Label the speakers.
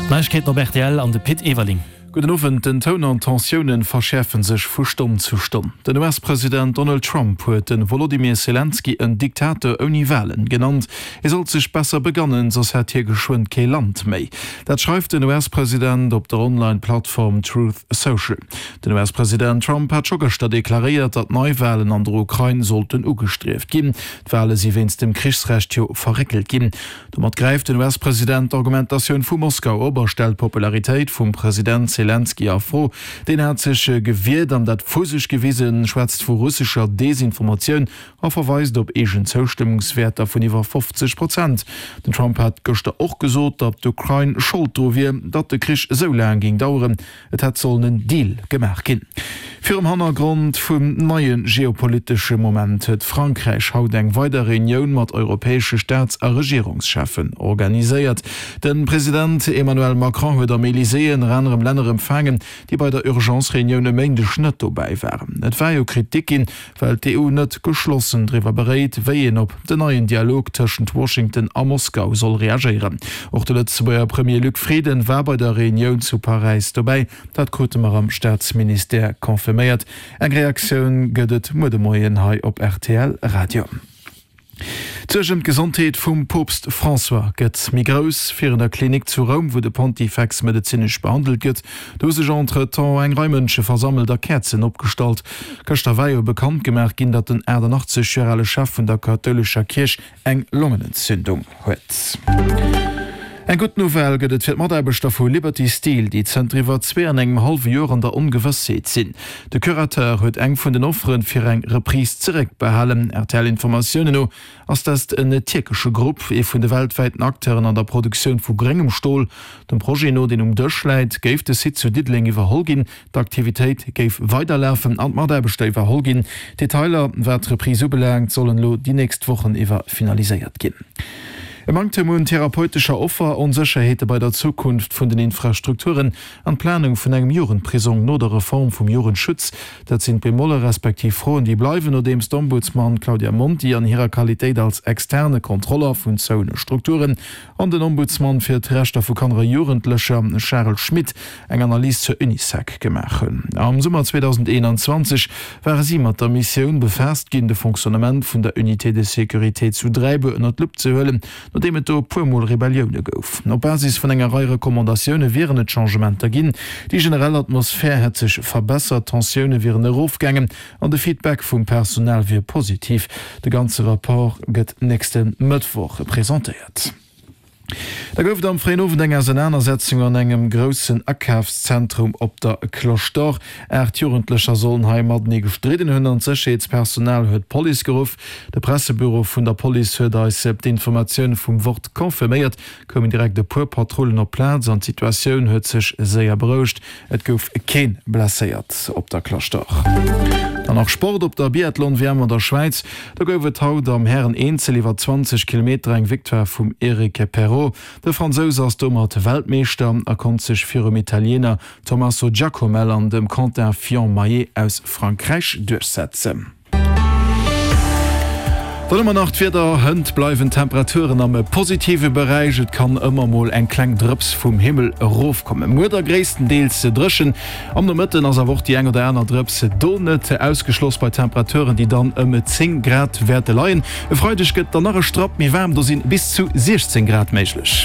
Speaker 1: D'Neiegkeeten op rtl an de Pit Everling.
Speaker 2: Gudden Owend. Den Toun an d'Tensiounen verschäerfe sech vu Stonn zu Stonn. Den US-President Donald Trump huet de Wolodymyr Selenskyj en Diktator ouni Walen genannt. Hie sollt sech besser begannen, soss hätt hie geschwënn kee Land méi. Dat schreift den US-President op der Online-Plattform Truth Social. Den US-President Trump hat scho gëschter deklaréiert, datt Neiwalen an der Ukrain sollten ugestrieft ginn. D'Wale si wéinst dem Krichsrecht jo verréckelt ginn. Domat gräift den US-President d'Argumentatioun vu Moskau op a stellt d'Popularitéit vum President Selenskyj a Fro. Deen hat sech gewiert an dat vu sech gewisen, schwätzt vu russescher Desinformatioun a verweist op eegen Zoustëmmungswäerter vun iwwer 50 Prozent. Den Trump hat gëschter och gesot, datt d'Ukrain Schold dru wier, datt de Krich esou laang géing daueren. Et hätt sollen en Deal gemaach ginn. Virum Hannergrond vum neie geopolitesche Moment huet Frankräich haut eng weider Reunioun mat europäesche Staats a Regierungscheffen organiséiert. De President Emmanuel Macron huet am Elysée ënner anerem Länner empfaangen, déi bei der Urgence-Reunioun e Méindeg net dobäi waren. Et war jo Kritik ginn, well d'EU net geschlossen driwwer beréit, wéi een op den neien Dialog tëschent Washington a Moskau soll reagéieren. Och de Lëtzebuerger Premier Luc Frieden war bei der Reunioun zu Paräis dobäi. Dat krute mer am Staatsministère confirméiert. Eng Reaktioun gëtt et muer de Moien hei op rtl Radio. D'Suerg ëm d'Gesondheet vum Poopst François gëtt méi grouss. Virun der Klinik zu Roum, wou de Pontifex medezinesch behandelt gëtt, do hu sech entretemps eng Rei Mënsche versammelt a Käerzen opgestallt. Gëschter war jo bekannt gemaach ginn, datt den 88 Joer ale Chef vun der kathoulescher Kierch eng Longenentzündung huet. Eng gutt Nouvelle gëtt et fir d'Mataarbechter vu Liberty Steel, déi zënter iwwer zwee an engem hallwe Joer an der Ongewëssheet sinn. De Curateur huet eng vun den Offere fir eng Reprise zeréckbehalen. RTL-Informatiounen no ass dëst en tierkesche Grupp, ee vun de weltwäiten Acteuren an der Produktioun vu gréngem Stol. Dem Projet no, deen um Dësch läit, géif de Site zu Diddeleng iwwerholl ginn. D'Aktivitéit géif weiderlafen an d'Mataarbechter iwwerholl ginn. Detailer, wat d'Reprise ubelaangt, sollen elo déi nächst Wochen iwwer finaliséiert ginn. E Manktem un therapeutescher Offer, Onsécherheete bei der Zukunft vun den Infrastrukturen an d'Planung vun engem Jugendprisong no der Reform vum Jugendschutz, dat sinn d'Bemolle respektiv Froen, déi bleiwen, nodeems d'Ombudsman Claudia Monti an hirer Qualitéit als externe Kontroller vun zoune Strukturen An den Ombudsman fir d'Rechter vu Kanner a Jugendlecher, Charel Schmit, eng Analys zur Unisec gemaach hunn. Am Summer 2021 ware si mat der Missioun befaasst ginn, de Fonctionnement vun der Unité de sécurité zu Dräibuer ënner d'Lupp ze huelen, nodeem et do e puer Mol Rebellioune gouf. Op Basis vun enger Rei Recommandatioune wieren et Changementer ginn. Déi generell Atmosphär hätt sech verbessert, d'Tensioune wieren erofgaangen An de Feedback vum Personal wier positiv. De ganze Rapport gëtt nächste Mëttwoch presentéiert. Da gouf et am fréien Owend eng Ausenanersetzung an engem groussen Akafszentrum op der Cloche d'Or. 8 Jugendlecher sollen hei matenee gestridden hunn an d'Sécherheetspersonal huet d'Police geruff. De Pressebüro vun der Police huet eis d'Informatioun vum Wort confirméiert. Koumen direkt e puer Patrullen op d'Plaz an d'Situatioun huet sech séier berouegt. Et gouf keen blesséiert op der Cloche d'Or. Dann nach Sport op der Biathlon-WM an der Schwäiz. Do gouf et haut am Hären-Eenzel iwwer 20 Kilometer eng Victoire vum Eric Perrot. De Fransous ass domat Weltmeeschter a konnt sech virum Italiener Tommaso Giacomel an dem Quentin Fillon-Maillet aus Frankräich duerchsetzen. Dann hu mer nach d'Wieder, Hënt bleiwen d'Temperaturen am positive Beräich, et kann ëmmer mol eng kleng Drëps vum Himmel erofkommen. Muer da gréisstendeels dréchen, am Nomëtten ass awer och déi eng oder aner Drëps do net ausgeschloss, bei Temperaturen, déi dann ëm 10 Grad wäerte leien. E Freideg gëtt dann nach e Strapp méi waarm, do si bis zu 16 Grad méiglech.